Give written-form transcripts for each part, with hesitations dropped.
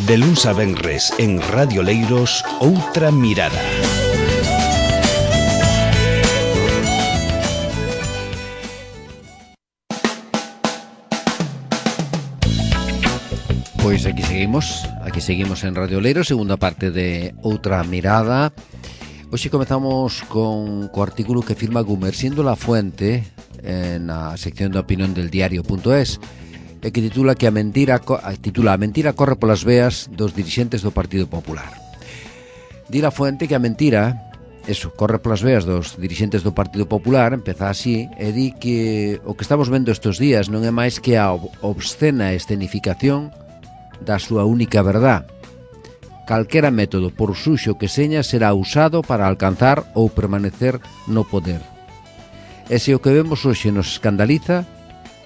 De luns a venres en Radio Leiros, Outra Mirada. Pois aquí seguimos en Radio Leiros, segunda parte de Outra Mirada. Hoxe comezamos con o artículo que firma Gumersindo La Fuente na sección de opinión del diario.es, e que titula A mentira corre polas veas dos dirixentes do Partido Popular. Di La Fuente que a mentira corre polas veas dos dirixentes do Partido Popular, empeza así, e di que o que estamos vendo estes días non é máis que a obscena escenificación da súa única verdad. Calquera método, por suxo que seña, será usado para alcanzar ou permanecer no poder. E se o que vemos hoxe nos escandaliza,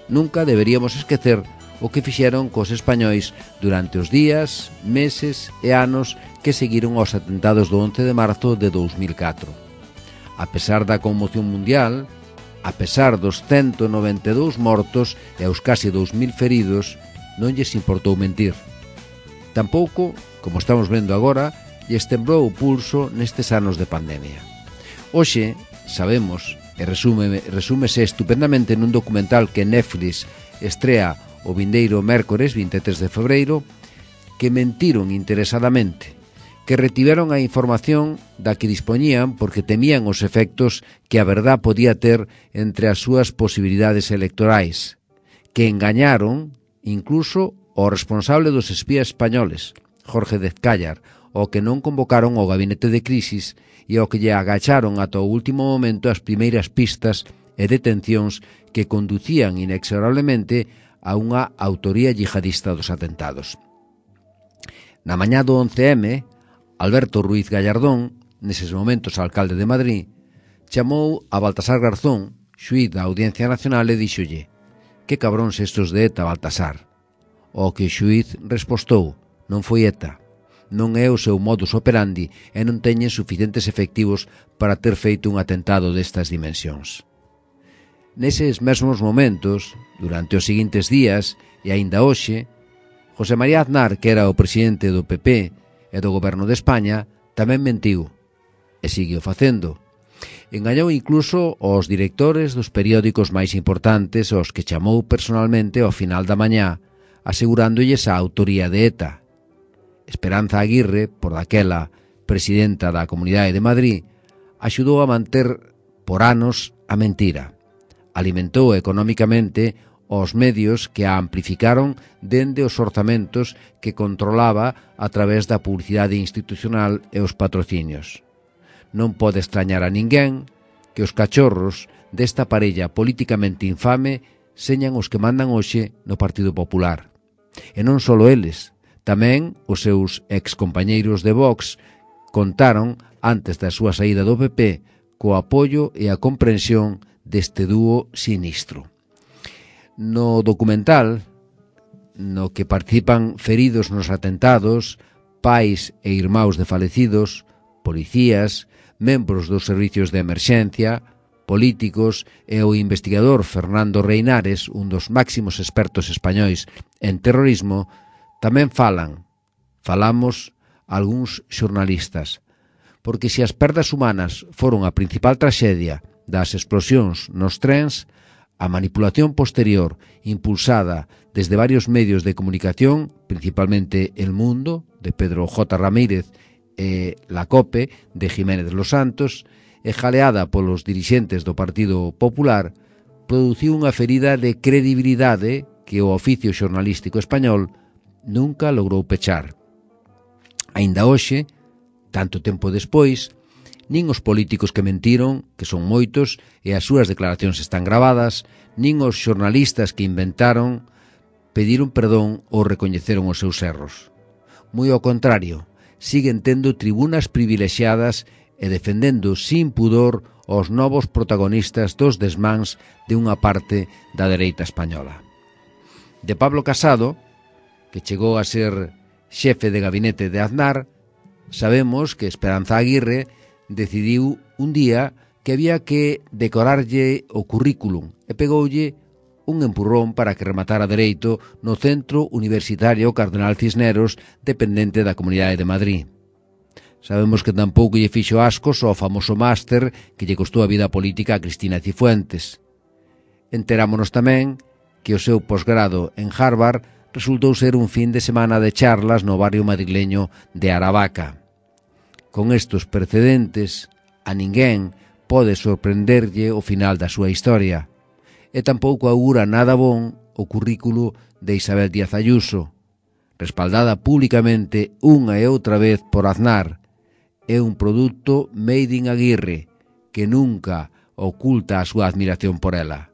nunca deberíamos esquecer o que fixeron cos españois durante os días, meses e anos que seguiron aos atentados do 11 de marzo de 2004. A pesar da conmoción mundial, a pesar dos 192 mortos e os casi 2000 feridos, non lles importou mentir. Tampouco, como estamos vendo agora, lles temblou o pulso nestes anos de pandemia. Hoxe, sabemos, e resúmese estupendamente nun documental que Netflix estrea o vindeiro mércores 23 de febreiro, que mentiron interesadamente, que retiveron a información da que dispoñían porque temían os efectos que a verdad podía ter entre as súas posibilidades electorais, que engañaron incluso o responsable dos espías españoles, Jorge Dezcállar, o que non convocaron o gabinete de crisis e o que lle agacharon ata o último momento as primeiras pistas e detencións que conducían inexorablemente a unha autoría yihadista dos atentados. Na mañá do 11M, Alberto Ruiz Gallardón, neses momentos alcalde de Madrid, chamou a Baltasar Garzón, xuíz da Audiencia Nacional, e díxolle: "Que cabróns estos de ETA, Baltasar?" O que o xuíz respostou: "Non foi ETA, non é o seu modus operandi e non teñen suficientes efectivos para ter feito un atentado destas dimensións." Neses mesmos momentos, durante os seguintes días e aínda hoxe, José María Aznar, que era o presidente do PP e do Goberno de España, tamén mentiu, e sigue o facendo. Engañou incluso aos directores dos periódicos máis importantes, aos que chamou personalmente ao final da mañá, asegurándolles a autoría de ETA. Esperanza Aguirre, por daquela presidenta da Comunidade de Madrid, axudou a manter por anos a mentira. Alimentou económicamente os medios que a amplificaron dende os orzamentos que controlaba a través da publicidade institucional e os patrocinios. Non pode extrañar a ninguén que os cachorros desta parella políticamente infame señan os que mandan hoxe no Partido Popular. E non só eles, tamén os seus excompañeiros de Vox contaron, antes da súa saída do PP, co apoio e a comprensión deste dúo sinistro. No documental, no que participan feridos nos atentados, pais e irmáns de falecidos, policías, membros dos servicios de emerxencia, políticos e o investigador Fernando Reinares, un dos máximos expertos españois en terrorismo, tamén falamos algúns xornalistas, porque se as perdas humanas foron a principal traxedia das explosións nos trens, a manipulación posterior impulsada desde varios medios de comunicación, principalmente El Mundo, de Pedro J. Ramírez, e La Cope, de Jiménez Los Santos, e jaleada polos dirixentes do Partido Popular, produciu unha ferida de credibilidade que o oficio xornalístico español nunca logrou pechar. Aínda hoxe, tanto tempo despois, nin os políticos que mentiron, que son moitos, e as súas declaracións están gravadas, nin os xornalistas que inventaron, pediron perdón ou recoñeceron os seus erros. Moi ao contrario, siguen tendo tribunas privilexiadas e defendendo sin pudor os novos protagonistas dos desmáns de unha parte da dereita española. De Pablo Casado, que chegou a ser xefe de gabinete de Aznar, sabemos que Esperanza Aguirre decidiu un día que había que decorarlle o currículum e pegoulle un empurrón para que rematara dereito no Centro Universitario Cardenal Cisneros, dependente da Comunidade de Madrid. Sabemos que tampouco lle fixo ascos ao famoso máster que lle costou a vida política a Cristina Cifuentes. Enterámonos tamén que o seu posgrado en Harvard resultou ser un fin de semana de charlas no barrio madrileño de Aravaca. Con estes precedentes, a ninguén pode sorprenderlle o final da súa historia, e tampouco augura nada bon o currículo de Isabel Díaz Ayuso, respaldada públicamente unha e outra vez por Aznar. É un produto made in Aguirre, que nunca oculta a súa admiración por ela.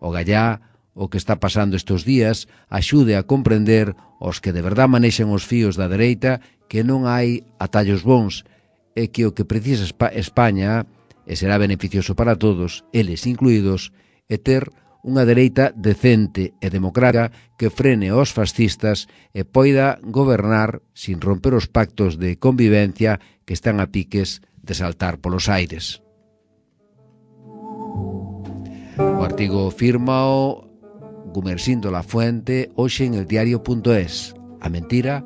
O gallá, o que está pasando estes días, axude a comprender os que de verdad manexan os fíos da dereita que non hai atallos bons e que o que precisa España, e será beneficioso para todos, eles incluídos, é ter unha dereita decente e democrática que frene aos fascistas e poida gobernar sin romper os pactos de convivencia que están a piques de saltar polos aires. O artigo fírmao Gumersindo La Fuente hoxe en eldiario.es. A mentira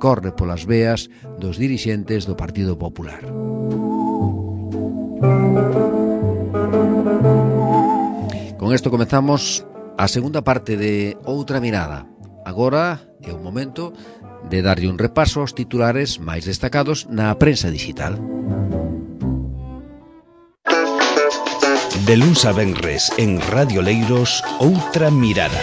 corre polas veas dos dirixentes do Partido Popular. Con isto comezamos a segunda parte de Outra Mirada. Agora é o momento de darlle un repaso aos titulares máis destacados na prensa digital. De luns a venres en Radio Leiros, Outra Mirada.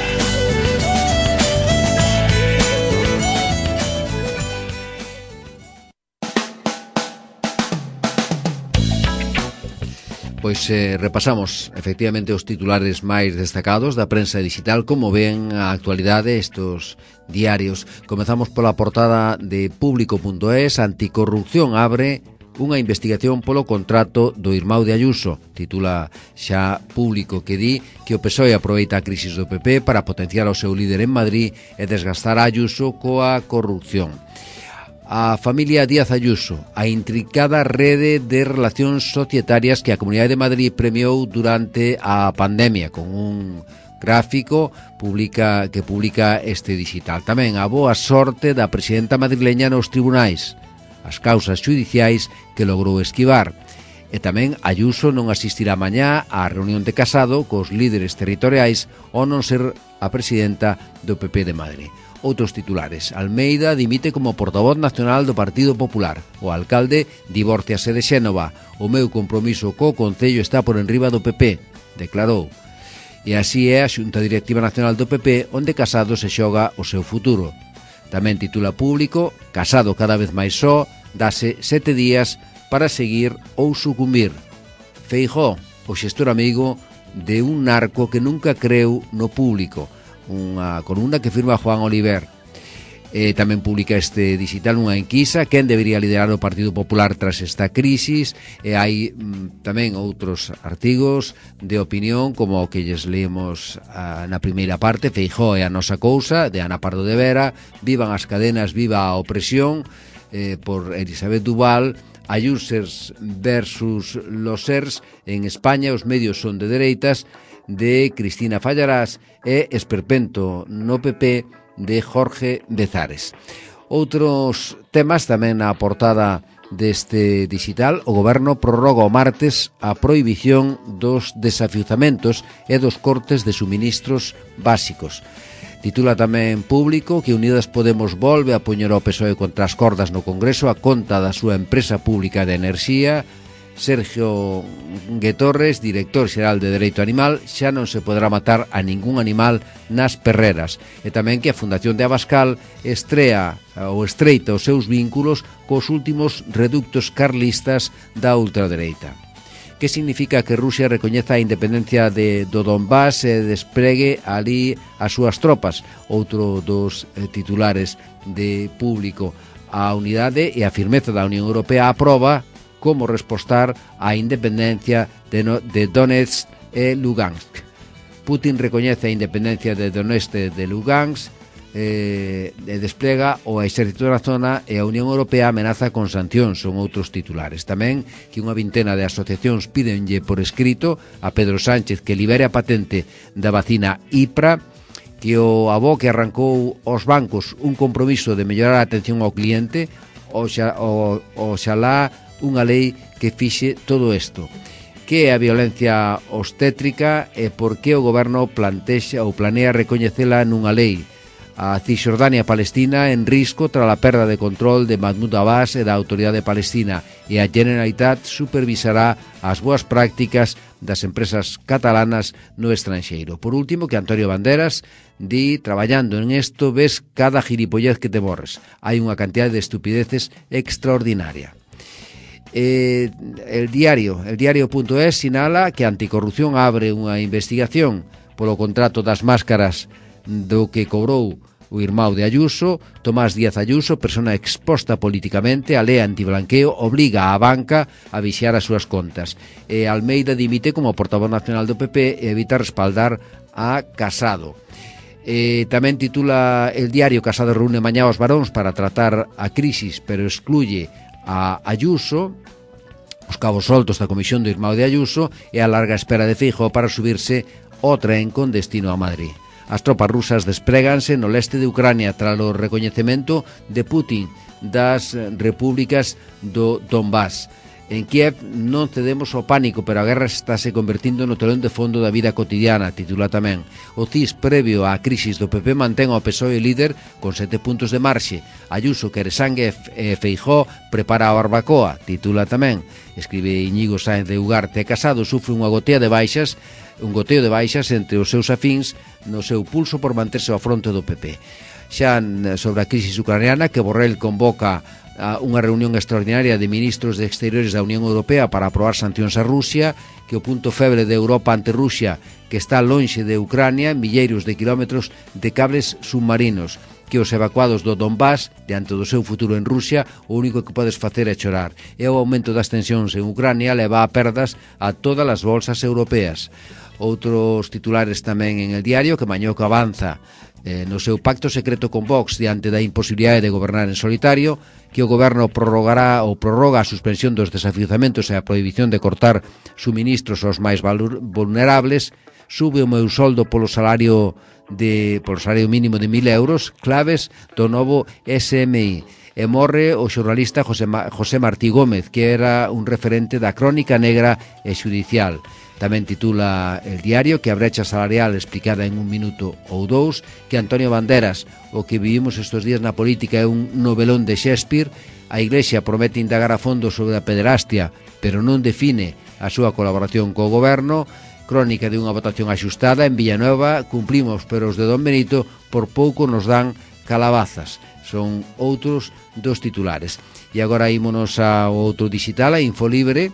Pois repasamos efectivamente os titulares máis destacados da prensa digital, como ven a actualidade estos diarios. Comezamos pola portada de Público.es. Anticorrupción abre unha investigación polo contrato do irmão de Ayuso. Titula xa Público, que di que o PSOE aproveita a crisis do PP para potenciar o seu líder en Madrid e desgastar a Ayuso coa corrupción. A familia Díaz Ayuso, a intricada rede de relacións societarias que a Comunidade de Madrid premiou durante a pandemia, con un gráfico que publica este digital. Tamén a boa sorte da presidenta madrileña nos tribunais, as causas xudiciais que logrou esquivar. E tamén Ayuso non asistirá mañá á reunión de Casado cos líderes territoriais ao non ser a presidenta do PP de Madrid. Outros titulares. Almeida dimite como portavoz nacional do Partido Popular. O alcalde divórciase de Xénova. O meu compromiso co Concello está por enriba do PP, declarou. E así é a Xunta Directiva Nacional do PP, onde Casado se xoga o seu futuro. Tamén titula Público, Casado cada vez máis só, dase 7 días para seguir ou sucumbir. Feijóo, o xestor amigo de un narco que nunca creu no público. Unha columna que firma Juan Oliver. Tamén publica este digital unha enquisa quen debería liderar o Partido Popular tras esta crisis, e hai tamén outros artigos de opinión como o que lles leemos na primeira parte. Feijóo é a nosa cousa, de Ana Pardo de Vera, Vivan as cadenas, viva a opresión, por Elisabeth Duval. Ayusers versus los SERS en España, os medios son de dereitas, de Cristina Fallarás, e Esperpento no PP de Jorge Bezares. Outros temas tamén na portada deste digital. O goberno prorroga o martes a prohibición dos desafiuzamentos e dos cortes de suministros básicos. Titula tamén Público que Unidas Podemos volve a poñer ao PSOE contra as cordas no Congreso a conta da súa empresa pública de enerxía. Sergio Guetorres, director xeral de Dereito Animal, xa non se poderá matar a ningún animal nas perreras. E tamén que a Fundación de Abascal estreita os seus vínculos cos últimos reductos carlistas da ultradereita. Que significa que Rusia recoñeza a independencia do Donbass e despregue ali as súas tropas? Outro dos titulares de Público. A unidade e a firmeza da Unión Europea aproba como respostar á independencia de Donetsk e Lugansk. Putin recoñece a independencia de Donetsk e de Lugansk. desplega o exército na zona e a Unión Europea amenaza con sancións, son outros titulares. Tamén que unha vintena de asociacións pídenlle por escrito a Pedro Sánchez que libere a patente da vacina IPRA, que o avó que arrancou aos bancos un compromiso de mellorar a atención ao cliente, oxalá unha lei que fixe todo isto. Que é a violencia obstétrica e por que o goberno planea recoñecela nunha lei. A Cisjordania Palestina en risco tras a perda de control de Mahmoud Abbas e da Autoridade Palestina, e a Generalitat supervisará as boas prácticas das empresas catalanas no estranxeiro. Por último, que Antonio Banderas di, traballando en isto ves cada gilipollez que te borres. Hai unha cantidad de estupideces extraordinaria. El diario.es sinala que Anticorrupción abre unha investigación polo contrato das máscaras do que cobrou o irmão de Ayuso. Tomás Díaz Ayuso, persona exposta políticamente, a lei antiblanqueo obriga a banca a vixiar as súas contas. E Almeida dimite como portavoz nacional do PP e evita respaldar a Casado. Tamén titula el diario: Casado reúne mañá aos varóns para tratar a crisis, pero excluye a Ayuso, os cabos soltos da comisión do irmão de Ayuso e a larga espera de Feijóo para subirse ao tren con destino a Madrid. As tropas rusas despréganse no leste de Ucrania tras o recoñecemento de Putin das repúblicas do Donbass. En Kiev non cedemos ao pánico, pero a guerra estáse convertindo no telón de fondo da vida cotidiana, titula tamén. O CIS, previo á crisis do PP, mantén ao PSOE líder con 7 puntos de marxe. Ayuso quere sangue e Feijóo prepara a barbacoa, titula tamén. Escribe Íñigo Sáenz de Ugarte. Casado sufre un goteo de baixas entre os seus afíns no seu pulso por manterse ao fronte do PP. Xa sobre a crisis ucraniana, que Borrell convoca a unha reunión extraordinaria de ministros de Exteriores da Unión Europea para aprobar sancións a Rusia, que o punto febre de Europa ante Rusia, que está lonxe de Ucrania, milleiros de kilómetros de cables submarinos, que os evacuados do Donbass, diante do seu futuro en Rusia, o único que podes facer é chorar. E o aumento das tensións en Ucrania leva a perdas a todas as bolsas europeas. Outros titulares tamén en el diario, que Mañoco avanza no seu pacto secreto con Vox diante da imposibilidade de gobernar en solitario, que o goberno prorroga a suspensión dos desafiuzamentos e a prohibición de cortar suministros aos máis vulnerables, sube o meu soldo polo salario mínimo de 1.000 euros, claves do novo SMI. E morre o xornalista José Martí Gómez, que era un referente da crónica negra e xudicial. Tamén titula el diario que a brecha salarial explicada en 1 minuto ou 2, que Antonio Banderas, o que vivimos estes días na política é un novelón de Shakespeare. A Iglesia promete indagar a fondo sobre a pederastia, pero non define a súa colaboración co goberno. Crónica de unha votación axustada en Villanueva, cumplimos, pero os de Don Benito por pouco nos dan calabazas. Son outros dos titulares. E agora ímonos ao outro digital, a Infolibre.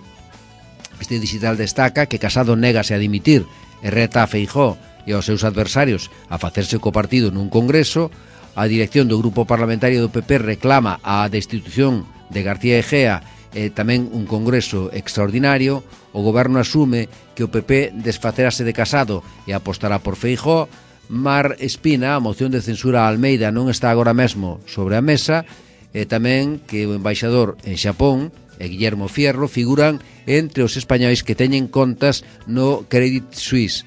Este digital destaca que Casado négase a dimitir e reta a Feijóo e aos seus adversarios a facerse co partido nun congreso. A dirección do grupo parlamentario do PP reclama a destitución de García Egea e tamén un congreso extraordinario. O goberno asume que o PP desfacerase de Casado e apostará por Feijóo. Mar Espina, a moción de censura a Almeida non está agora mesmo sobre a mesa, e tamén que o embaixador en Xapón e Guillermo Fierro figuran entre os españois que teñen contas no Credit Suisse.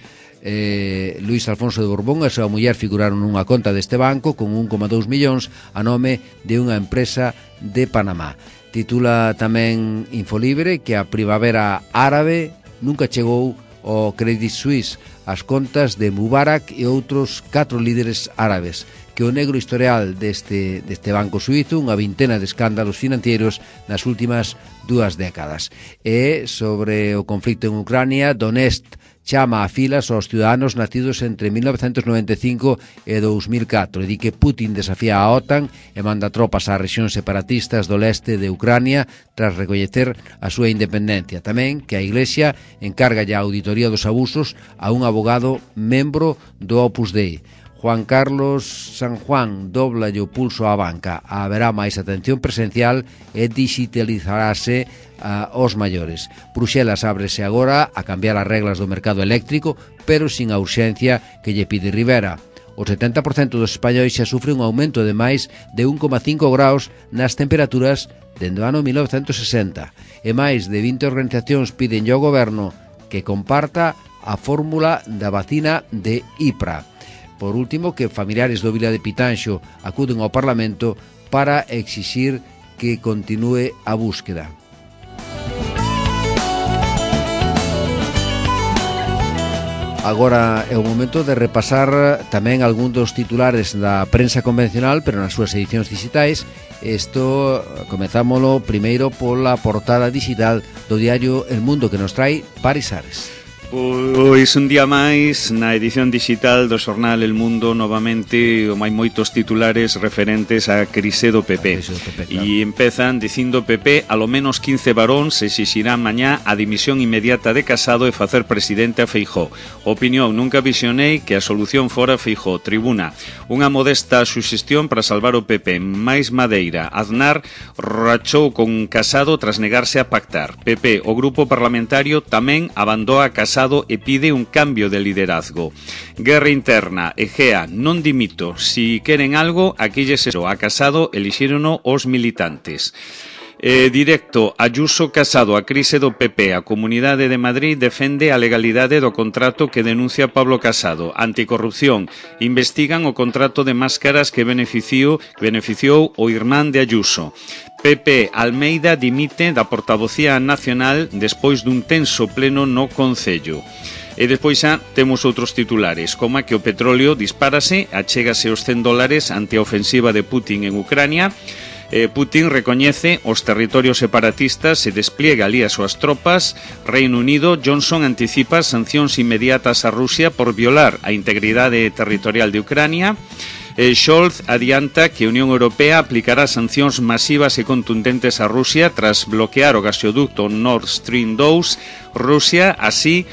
Luis Alfonso de Borbón e a súa muller figuraron nunha conta deste banco con 1,2 millóns a nome de unha empresa de Panamá. Titula tamén Infolibre que a primavera árabe nunca chegou ao Credit Suisse, as contas de Mubarak e outros 4 líderes árabes, que o negro historial deste banco suizo, unha vintena de escándalos financieros nas últimas 2 décadas. E sobre o conflicto en Ucrania, Donetsk chama a filas aos ciudadanos nacidos entre 1995 e 2004 e di que Putin desafía a OTAN e manda tropas ás rexións separatistas do leste de Ucrania tras recoñecer a súa independencia. Tamén que a Iglesia encarga a auditoría dos abusos a un abogado membro do Opus Dei. Juan Carlos San Juan dobla o pulso á banca. Haberá máis atención presencial e digitalizarase aos maiores. Bruxelas ábrese agora a cambiar as reglas do mercado eléctrico, pero sin a urxencia que lle pide Rivera. O 70% dos españois xa sufre un aumento de máis de 1,5 graus nas temperaturas dende o ano 1960. E máis de 20 organizacións piden ao goberno que comparta a fórmula da vacina de IPRA. Por último, que familiares do Vila de Pitanxo acuden ao Parlamento para exixir que continúe a búsqueda. Agora é o momento de repasar tamén algún dos titulares da prensa convencional, pero nas súas edicións digitais. Isto comezámolo primeiro pola portada digital do diario El Mundo, que nos trae Paris Ares. Pois un día máis na edición digital do xornal El Mundo, novamente hai moitos titulares referentes á crise do PP. E empezan dicindo: PP, alo menos 15 varóns exixirán mañá a dimisión inmediata de Casado e facer presidente a Feijóo. Opinión: nunca visionei que a solución fora Feijóo. Tribuna: unha modesta suxestión para salvar o PP. Máis Madeira: Aznar rachou con Casado tras negarse a pactar. PP, o grupo parlamentario tamén abandou a Casado e pide un cambio de liderazgo. Guerra interna: Egea, non dimito. Si queren algo, aquí lles eso. A Casado elixírono os militantes. Directo: Ayuso Casado, a crise do PP. A Comunidade de Madrid defende a legalidade do contrato que denuncia Pablo Casado. Anticorrupción: investigan o contrato de máscaras que beneficiou o irmán de Ayuso. PP, Almeida dimite da portavocía nacional despois dun tenso pleno no Concello. E despois xa temos outros titulares, como que o petróleo dispárase, achégase os $100 ante a ofensiva de Putin en Ucrania. Putin recoñece os territorios separatistas e despliega ali as súas tropas. Reino Unido: Johnson anticipa sancións inmediatas a Rusia por violar a integridade territorial de Ucrania. Scholz adianta que a Unión Europea aplicará sancións masivas e contundentes a Rusia tras bloquear o gasoducto Nord Stream 2. Rusia, así,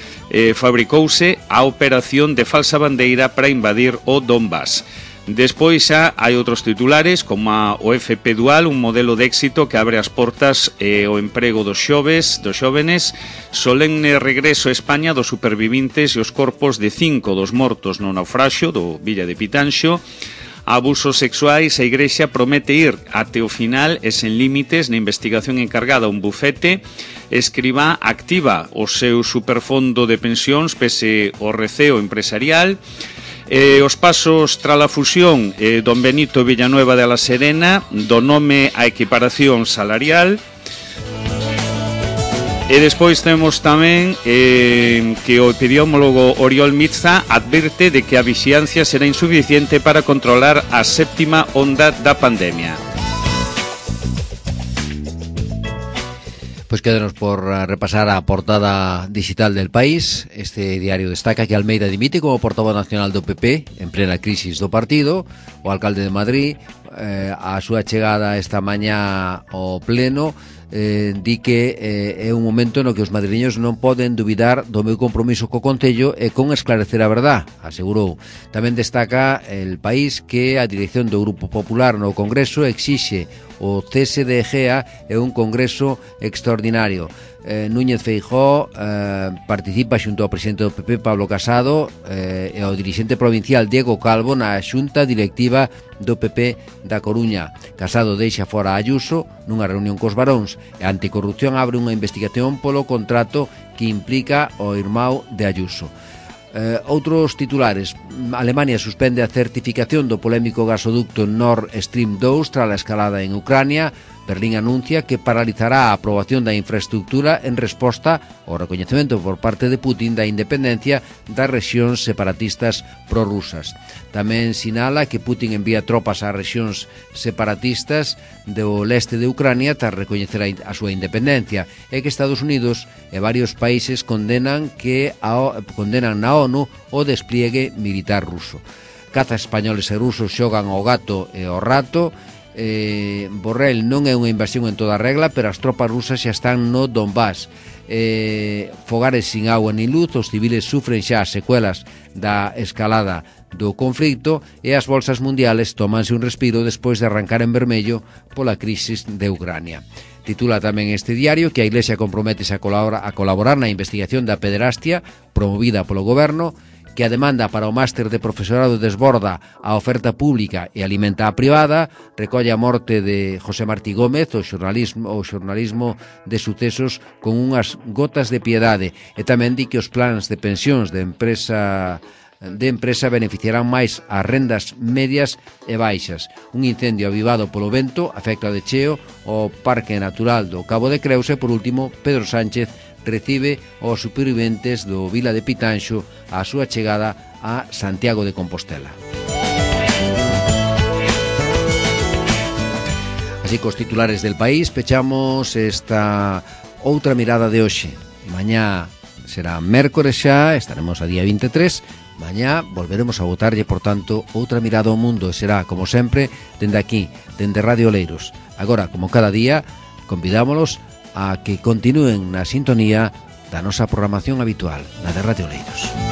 fabricouse a operación de falsa bandeira para invadir o Donbass. Despois xa hai outros titulares, como o FP Dual, un modelo de éxito que abre as portas ao emprego dos xóvenes. Solemne regreso a España dos supervivintes e os corpos de 5 dos mortos no naufraxio do Villa de Pitanxo. Abusos sexuais: a Igrexa promete ir até o final e sen límites na investigación encargada a un bufete. Escribá activa o seu superfondo de pensións pese ao receo empresarial. Os pasos tras a fusión don Benito Villanueva de la Serena, do nome a equiparación salarial. E despois temos tamén que o epidemiólogo Oriol Mitza advirte de que a vixiancia será insuficiente para controlar a séptima onda da pandemia. Pois quédanos por repasar a portada digital del País. Este diario destaca que Almeida dimite como portavoz nacional do PP en plena crisis do partido. O alcalde de Madrid, a súa chegada esta mañá ao pleno, di que é un momento no que os madrileños non poden dubidar do meu compromiso co Concello e con esclarecer a verdad, asegurou. Tamén destaca El País que a dirección do Grupo Popular no Congreso exixe o cese de Egea e un congreso extraordinario. Núñez Feijóo participa xunto ao presidente do PP Pablo Casado e ao dirixente provincial Diego Calvo na xunta directiva do PP da Coruña. Casado deixa fora a Ayuso nunha reunión cos varóns e a Anticorrupción abre unha investigación polo contrato que implica o irmão de Ayuso. Outros titulares: Alemania suspende a certificación do polémico gasoducto Nord Stream 2 tras a escalada en Ucrania. Berlín anuncia que paralizará a aprobación da infraestructura en resposta ao recoñecemento por parte de Putin da independencia das rexións separatistas prorrusas. Tamén sinala que Putin envía tropas ás rexións separatistas do leste de Ucrania tras recoñecer a súa independencia e que Estados Unidos e varios países condenan na ONU o despliegue militar ruso. Cazas españoles e rusos xogan ao gato e ao rato. Borrell: non é unha invasión en toda regla, pero as tropas rusas xa están no Donbass. Fogares sin agua ni luz, os civiles sufren xa as secuelas da escalada do conflito e as bolsas mundiales tómanse un respiro despois de arrancar en vermello pola crisis de Ucrania. Titula tamén este diario que a Iglesia comprométese a colaborar na investigación da pederastia promovida polo goberno que a demanda para o máster de profesorado desborda a oferta pública e alimenta a privada, recolle a morte de José Martí Gómez, o xornalismo de sucesos con unhas gotas de piedade, e tamén di que os plans de pensións de empresa beneficiarán máis as rendas medias e baixas. Un incendio avivado polo vento afecta de cheo o Parque Natural do Cabo de Creus e, por último, Pedro Sánchez recibe aos superviventes do Vila de Pitanxo a súa chegada a Santiago de Compostela. Así, cos titulares del país, pechamos esta outra mirada de hoxe. Mañá será mércores xa, estaremos a día 23. Mañá volveremos a botarlle, por tanto, outra mirada ao mundo, e será, como sempre, dende aquí, dende Radio Oleiros. Agora, como cada día, convidámolos a que continúen na sintonía da nosa programación habitual, na de Radio Oleiros.